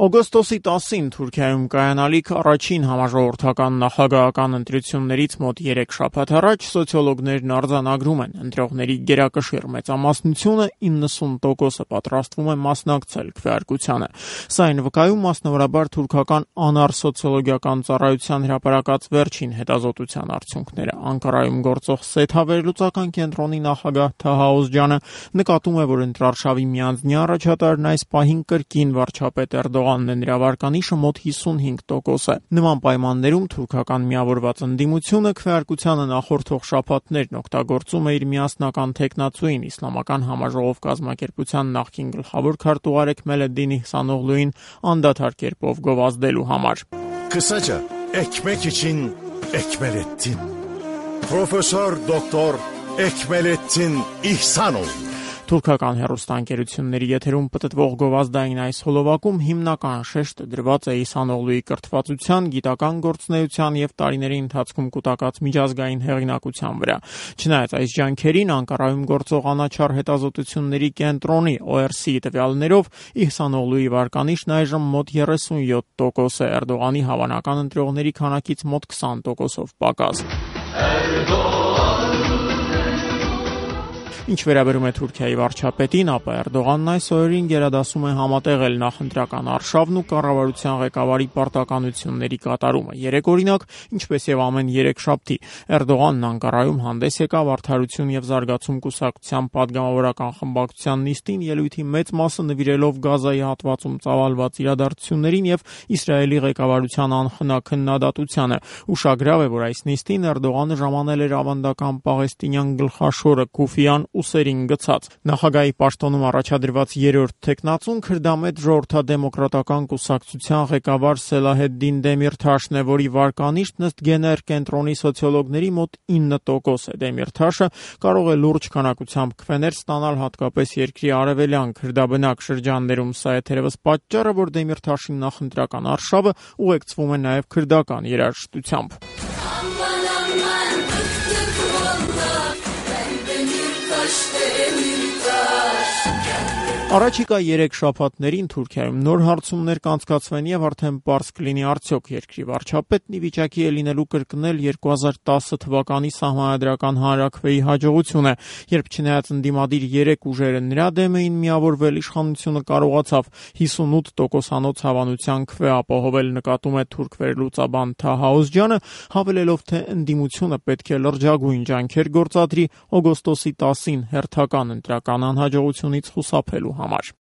Օգոստոսի 10-ին Թուրքիայում կայանալիք առաջին համաժողովրդական նախագահական ընտրություններից մոտ 3 շաբաթ առաջ սոցիոլոգներն արձանագրում են. ընտրողների գերակշիռ մեծամասնությունը 90%-ը պատրաստվում է մասնակցել քվեարկությանը։ Սա այն վկայում մասնավորաբար թուրքական անար սոցիոլոգիական ծառայության հրապարակած վերջին հետազոտության արդյունքները։ Անկարայում գործող Սեթա վերլուծական կենտրոնի նախագահ Թահա Օզջյանը նկատում է, որ ընտրարշավի միանձնյա առաջատարն այս պահին կրկին վարչապետ Էրդողանն է, նրա վարկանիշը մոտ 55% է։ Նման պայմաններում թուրքական միավորված ընդդիմությունը քվեարկությանը նախորդող շաբաթներն օգտագործում է իր միասնական թեկնածուին իսլամական համաժողով կազմակերպության նախկին գլխավոր քարտուղար Էքմելեդդին Իհսանօղլուին անդադար կերպով գովազդելու համար։ Kısaca ekmek için Ekmelettin. Profesör Doktor Ekmelettin İhsanoğlu. Թուրքական հեռուստաընկերությունների եթերում պտտվող գովազդային այս հոլովակում հիմնական շեշտը դրված է Իհսանօղլուի կրթվածության, գիտական գործունեության եւ տարիների ընթացքում կուտակած միջազգային հեղինակության վրա։ Չնայած այս ջանքերին, Անկարայում գործող անաչառ հետազոտությունների կենտրոնի ORC տվյալներով Իհսանօղլուի վարկանիշն այժմ մոտ 37% է, Էրդողանի հավանական ընտրողների քանակից մոտ 20%-ով պակաս։ Ինչ վերաբերում է Թուրքիայի վարչապետին, ապա Էրդողանն այս օրերին գերադասում է համատեղել նախընտրական արշավն ու կառավարության ղեկավարի պարտականությունների կատարումը։ Երեք օրինակ, ինչպես եւ ամեն 3 շաբթի, Էրդողանն Անկարայում հանդես եկավ Արդարություն եւ զարգացում կուսակցության падգամավորական խմբակցության նիստին, ելույթի մեծ մասը նվիրելով Գազայի հատվածում ծավալված իրադարձություններին եւ Իսրայելի ղեկավարության անխնա քննադատությանը։ Ուշագրավ է, որ այս նիստին Էրդողանը ժամանել էր ավանդական պաղեստինյան գլխաշորը Քուֆիան ուսերին գցած։ Նախագահի պաշտոնում առաջադրված երրորդ թեկնածուն քրդամետ ժողովրդադեմոկրատական կուսակցության ղեկավար Սելահեդդին Դեմիրթաշն է, որի վարկանիշն ըստ Գեներ կենտրոնի սոցիոլոգների մոտ 9% է։ Դեմիրթաշը կարող է լուրջ քանակությամբ քվեներ ստանալ հատկապես երկրի արևելյան քրդաբնակ շրջաններում։ Սա է թերևս պատճառը, որ Դեմիրթաշի նախընտրական արշավը ուղեկցվում է նաև քրդական երաժշտությամբ։ Առաջիկա 3 շաբաթներին Թուրքիայում նոր հարցումներ կանցկացվեն եւ արդեն պարզ կլինի արդյոք երկրի վարչապետն ի վիճակի է լինելու կրկնել 2010 թվականի սահմանադրական հանրաքվեի հաջողությունը, երբ չնայած ընդդիմադիր 3 ուժերը նրա դեմ էին միավորվել, իշխանությունը կարողացավ 58%-անոց հավանության քվե ապահովել, նկատում է թուրք վերլուծաբան Թահա Օզջյանը, հավելելով, թե ընդդիմությունը պետք է լրջագույն ջանքեր գործադրի օգոստոսի 10-ին հերթական ընտրական անհաջողությունից խուսափելու համար։